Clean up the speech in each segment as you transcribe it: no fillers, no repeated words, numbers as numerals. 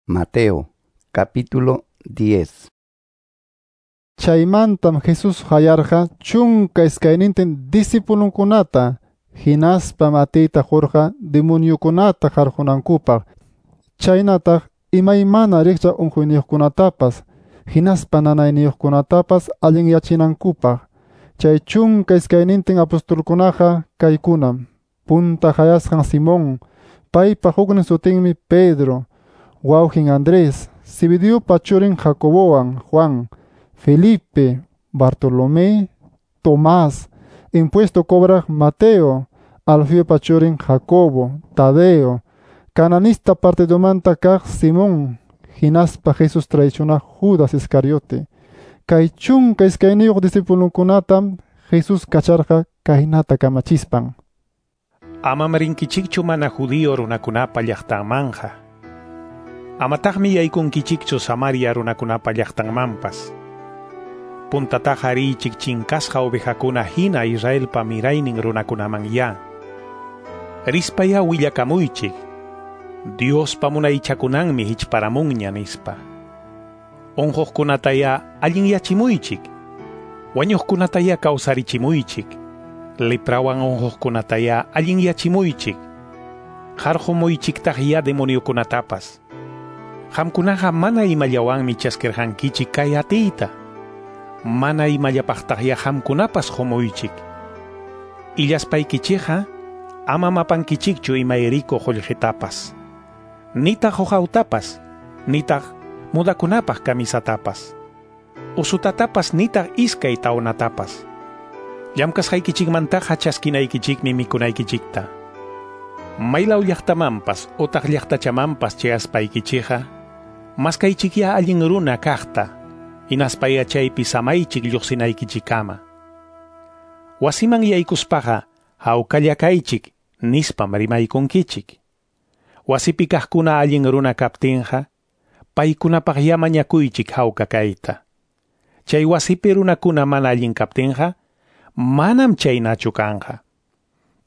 Mateo capítulo 10. Chaymantam Jesús qayarqa 12 discipulunkunata, hinaspam atiyta qurqa demoniokunata qarqunankupaq, chaynataq imaymana rikchaq unquyniyuqkunatapas, hinaspa nanayniyuqkunatapas allinyachinankupaq. Chay 12 apostolkunaqa kaykunam: punta qayasqan Simón, paypa huknin sutinmi Pedro, wawqin Andrés, Zebediopa churin Jacobowan Juan, Felipe, Bartolomé, Tomás, impuesto cobraq Mateo, Alfeopa churin Jacobo, Tadeo, cananista partidomanta kaq Simón, hinaspa Jesús traicionaq Judas Iscariote. Kay 12 discipulunkunatam Jesús kacharqa kaynata kamachispan: Amam rinkichikchu mana judío runakunapa llaqtanmanja. Amataqmi yaykunkichikchu Samaria runakunapa llaqtanmanpas. Puntataqa riychik chinkasqa ovejakuna hina Israelpa miraynin runakunaman ya. Rispaya willakamuychik, Diospa munaychakunanmi hichparamunña nispa. Unquqkunataya allinyachimuychik, wañuqkunataya kawsarichimuychik, leprawan unquqkunataya allinyachimuychik, qarqumuychiktaq ya demoniokunatapas. Qamkunaqa mana imallawanmi chaskirqankichik kay atiyta, mana imallapaqtaq ya qamkunapas qumuychik. Illaspaykichikqa ama mapankichikchu imayriko qullqitapas, nitaq uqawtapas, nitaq mudakunapaq kamisatapas, usutatapas nitaq iskay tawnatapas. Llamkasqaykichikmantaqa chaskinaykichikmi mikunaykichikta. Maylaw llaqtamanpas utaq llaqtachamanpas chayaspaykichikqa, maskaychikya allin runa kaqta, hinaspaya chaypi samaychik lluqsinaykichikkama. Wasiman yaykuspaqa hawkalla kaychik nispam rimaykunkichik. Wasipi kaqkuna allin runa kaptinqa, paykunapaq ya mañakuychik hawka kayta. Chay wasipi runakuna mana allin kaptinqa, manam chaynachu kanqa.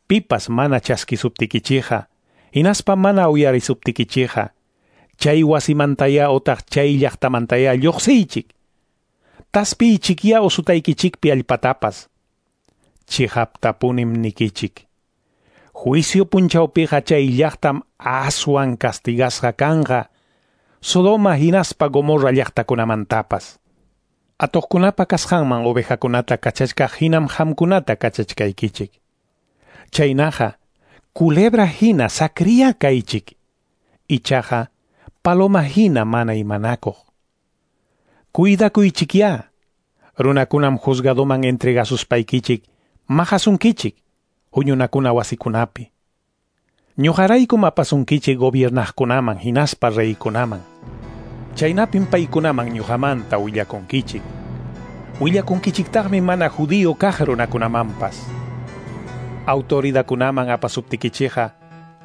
Pipas mana chaskisuptikichikqa, hinaspa mana uyarisuptikichikqa, chay wasimantaya otaq chay llaqtamantaya lluqsiychik. Taspiychikya usutaykichikpi allpatapas. Chiqaptapunim nikichik, juicio punchawpiqa chay llaqtam aswan castigasqa kanqa, Sodoma hinaspa Gomorra llaqtakunamantapas. Atuqkunapa kasqanman ovejakunata kachachkaq hinam qamkunata kachachkaykichik. Chaynaqa culebra hina sakriya kaychik, ichaqa paloma hina mana imanakuq. Cuidakuychikya, runakunam juzgadoman entregasuspaykichik, maqasunkichik, huñunakuna wasikunapi. Ñuqaraykum apasunkichik gobiernaqkunaman hinaspa reykunaman. Chaynapim paykunaman ñuqamanta willakunkichik. Willakunkichiktaqmi mana judío kaq runakunamanpas. Autoridakunaman apasuptikichikqa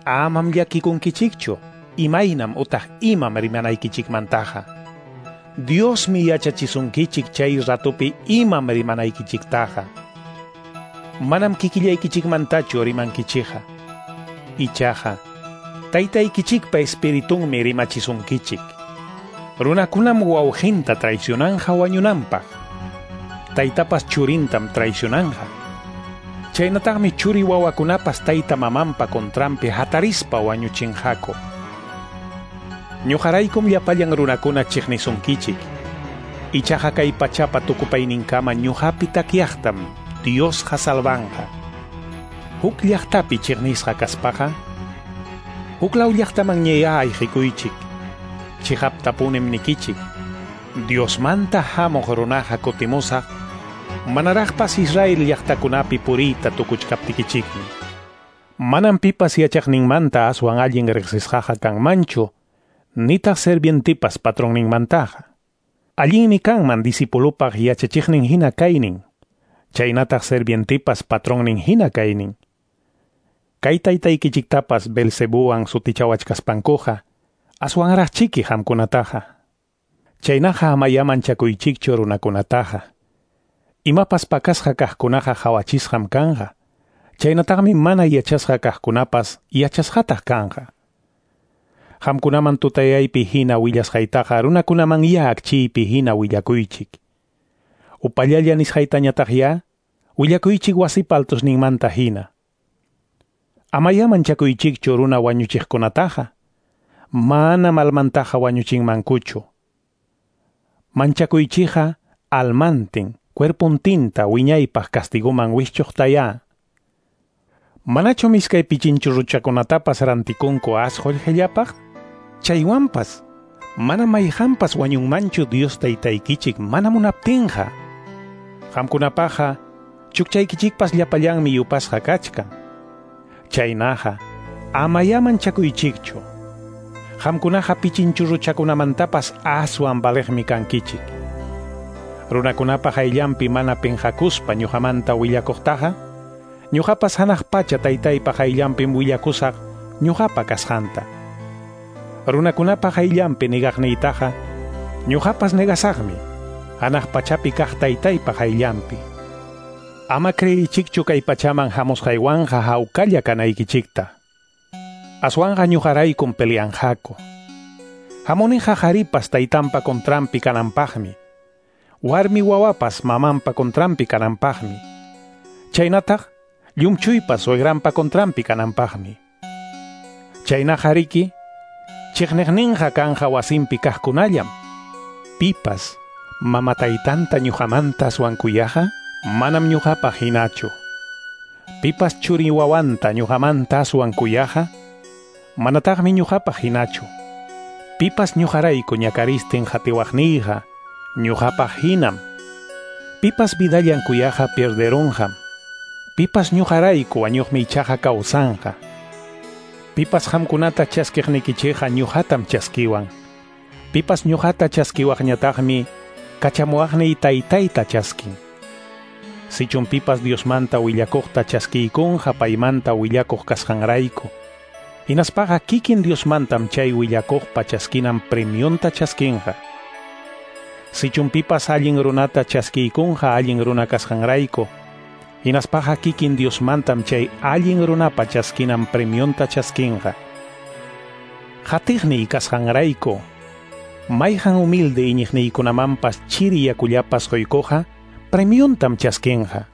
amam llakikunkichikchu, imaynam utaq imam rimanaykichikmantaqa. Diosmi yachachisunkichik chay ratupi imam rimanaykichiktaqa. Manam kikillaykichikmantachu rimankichikqa. Ichaqa taytaykichikpa espiritunmi rimachisunkichik. Runakunam wawqinta traicionanja wañunanpaq, taytapas churintam traicionanja. Chaynataqmi churi wawakunapas tayta mamanpa contranpi hatarispa wañuchinqaku. Ñuqaraykum llapallan runakuna chiqnisunkichik. Ichaqa kay pachapa tukupayninkama ñuqapi takyaqtam Diosqa salvanqa. Huk llaqtapi chiqnisqa kaspaqa, huklaw llaqtaman ñaya ayqikuychik. Chiqaptapunim nikichik, Diosmanta hamuq runaqa kutimusaq, manaraqpas Israel llaqtakunapi puriyta tukuchkaptikichikmi. Manam pipas yachaqninmanta aswan allin riqsisqaqa kanmanchu, nitaq servientipas patronninmantaqa. Allinmi kanman discipulupaq yachachiqnin hina kaynin, chaynataq servientipas patronnin hina kaynin. Kay taytaykichiktapas Belcebuwan sutichawachkaspankuqa, aswanraqchiki qamkunataqa. Chaynaqa amaya manchakuychikchu runakunataqa. Imapas pakasqa kaqkunaqa qhawachisqam kanqa. Chaynataqmi mana yachasqa kaqkunapas yachasqataq kanqa. Qamkunaman tutayaypi hina willasqaytaqa runakunaman ya akchiypi hina willakuychik. Upallalla nisqaytañataq ya willakuychik wasipa altusninmanta hina. Amaya manchakuychikchu runa wañuchiqkunataqa. Mana almantaqa wañuchinmankuchu. Manchakuychikqa almantin, cuerpuntinta wiñaypaq castiguman wischuqtaya. Manachum iskay pichinchurruchakunatapas rantikunku as qullqillapaq? Chaywanpas, mana mayqanpas wañunmanchu Dios taytaykichik mana munaptinqa. Qamkunapaqqa chukchaykichikpas llapallanmi yupasqa kachkan. Chaynaqa, amaya manchakuychikchu. Qamkunaqa pichinchurruchakunamantapas aswan valiqmi kankichik. Runakunapa hayllanpi mana pinqakuspa ñuqamanta willakuqtaqa, ñuqapas hanaq pacha taytaypa hayllanpim willakusaq ñuqapa kasqanta. Runakunapa hayllanpi negaqniytaqa, ñuqapas negasaqmi, hanaq pachapi kaq taytaypa hayllanpi. Ama creyichikchu kay pachaman hamusqaywanqa hawkalla kanaykichikta. Aswanqa ñuqaraykum peleanqaku. Hamuniqa qharipas taytanpa contranpi kananpaqmi. Warmi wawapas mamanpa contranpi kananpaqmi. Chaynataq llumchuypas suegranpa contranpi kananpaqmi. Chaynaqa riki, chiqniqninqa kanja wasinpi kaqkunallam. Pipas mama taytanta ñuqamanta aswan kuyaqa, manam ñuqapaq hinachu. Pipas churi wawanta ñuqamanta aswan kuyaqa, manataqmi ñuqapaq hinachu. Pipas ñuqarayku ñakaristin qatiwaqniyqa, ñuqapaq hinam. Pipas vidallan kuyaqa pierderunqam. Pipas ñuqarayku wañuqmi ichaqa kawsanqa. Pipas qamkunata chaskiqnikichikqa ñuqatam chaskiwan. Pipas ñuqata chaskiwaqñataqmi kachamuwaqniy taytayta chaskin. Sichum pipas Diosmanta willakuqta chaskiykunqa paymanta willakuq kasqanrayku. Hinaspaqa kikin Diosmantam chay willakuqpa chaskinan premionta chaskinqa. Sichum pipas allin runata chaskiykunqa allin runa kasqanrayku. Hinaspaqa kikin Diosmantam chay allin runapa chaskinan premionta chaskinqa. Qatiqniy kasqanrayku, mayqan humilde iñiqniykunamanpas chiri yakullapas quykuqqa premiontam chaskinqa.